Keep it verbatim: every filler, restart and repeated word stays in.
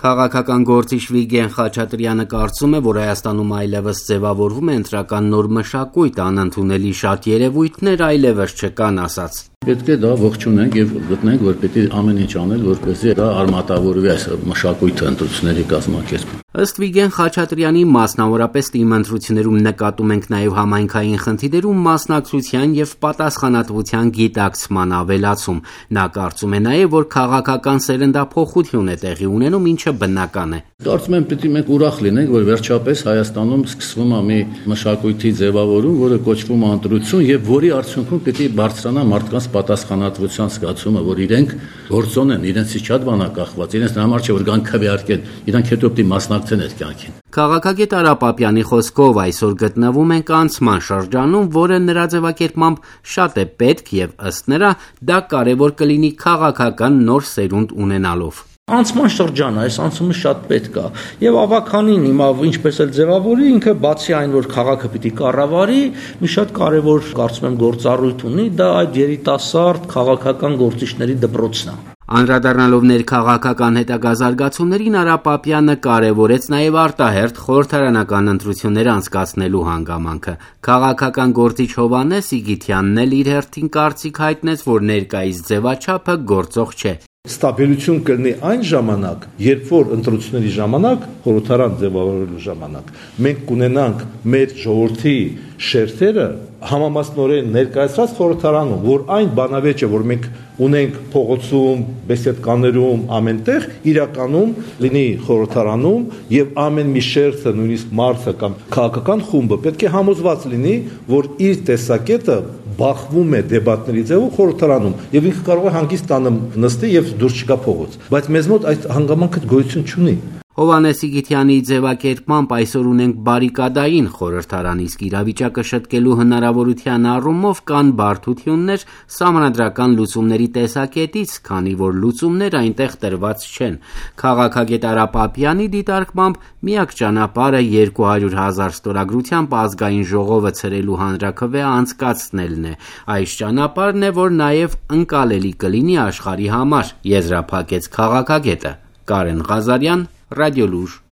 Քաղաքական գործիչ Վիգեն Խաչատրյանը կարծում է, որ Հայաստանում այլևս ձևավորվում է ընտրական նոր մշակույթ, անընդունելի շատ երևույթներ այլևս չկան, ասաց. Պետք է դա ողջունենք եւ գտնենք, որ պետք է ամեն ինչ անել, որպեսզի դա արմատավորվի այս մշակույթը ընտրությունների կազմակերպում։ Ըստ Վիգեն Խաչատրյանի, մասնավորապես ՏԻՄ ընտրություններում նկատում ենք նաև համայնքային խնդիրներում մասնակցության եւ պատասխանատվության գիտակցման ավելացում։ Նա կարծում է նաև, որ քաղաքական սերնդափոխություն է տեղի ունենում, ինչը բնական է։ Կարծում եմ, պետք է մենք ուրախ լինենք, որ վերջապես Հայաստանում սկսվում է մի մշակույթի ձևավորում, որը կոչվում է ընտրություն եւ որի արդյունքում պետք է բարձրանա մարդկանց պատասխանատվության զգացումը, որ իրենք գործոն են, իրենցից շատ բան է կախված, իրենց համար չէ որ գան քվեարկեն, իրանք հետո պետք է մասնակցեն այդ կյանքին։ Քաղաքագետ Արա Պապյանի խոսքով այսօր գտնվում ենք անցման շրջանում, որը նրա ձևակերպմամբ շատ է պետք եւ ըստ նրա դա կարեւոր կլինի քաղաքական նոր սերունդ ունենալով։ Անցման շրջան է, այս անցումը շատ պետք է եւ ավականին հիմա ինչպես էլ ձևավորի, ինքը բացի այն որ քաղաքը պիտի կառավարի, մի շատ կարեւոր կարծում եմ գործառույթ ունի, դա այդ երիտասարդ քաղաքական գործիչների դպրոցն է։ Անդրադառնալով ներքաղաքական հետագա զարգացումներին, Արա Պապյանը կարևորեց նաև արտահերթ խորհրդարանական ընտրություններ անցկացնելու հանգամանքը։ Քաղաքական գործիչ Հովհաննես Իգիթյանն էլ իր հերթին կարծիք հայտնեց, որ ներկայիս ձևաչափը գործող չէ։ Ստաբիլություն կլինի այն ժամանակ, երբ որ ընտրությունների ժամանակ, խորհրդարան ձևավորելու ժամանակ, մենք կունենանք մեր ժողովրդի շերտերը համամասնորեն ներկայացված խորհրդարանում, որ այն բանավեճը, որ մենք ունենք փողոցում, բեսեդկաներում, ամենտեղ, իրականում լինի խորհրդարանում եւ ամեն մի շերտը, նույնիսկ մարդը կամ քաղաքական խումբը պետք է համոզված լինի, որ իր տեսակետը բախվում է դեբատների ձևով խորհրդարանում եւ ինքը կարող է հանգիստ տանը նստի եւ դուրս չգա փողոց, բայց մեզ մոտ այդ հանգամանքը գոյություն չունի։ Հովհաննես Իգիթյանի ձևակերպմամբ այսօր ունենք բարիկադային խորհրդարան, իսկ իրավիճակը շտկելու հնարավորության առումով կան բարդություններ սահմանադրական լուծումների տեսակետից, քանի որ լուծումներ այնտեղ տրված չեն։ Քաղաքագետ Արա Պապյանի դիտարկմամբ միակ ճանապարհը երկու հարյուր հազար ստորագրությամբ ազգային ժողովը ցրելու հանրաքվե անցկացնելն է։ Այս ճանապարհն է, որ նաև ընկալելի կլինի աշխարհի համար, եզրափակեց քաղաքագետը։ Կարեն Ղազարյան, Ռադիոլուր։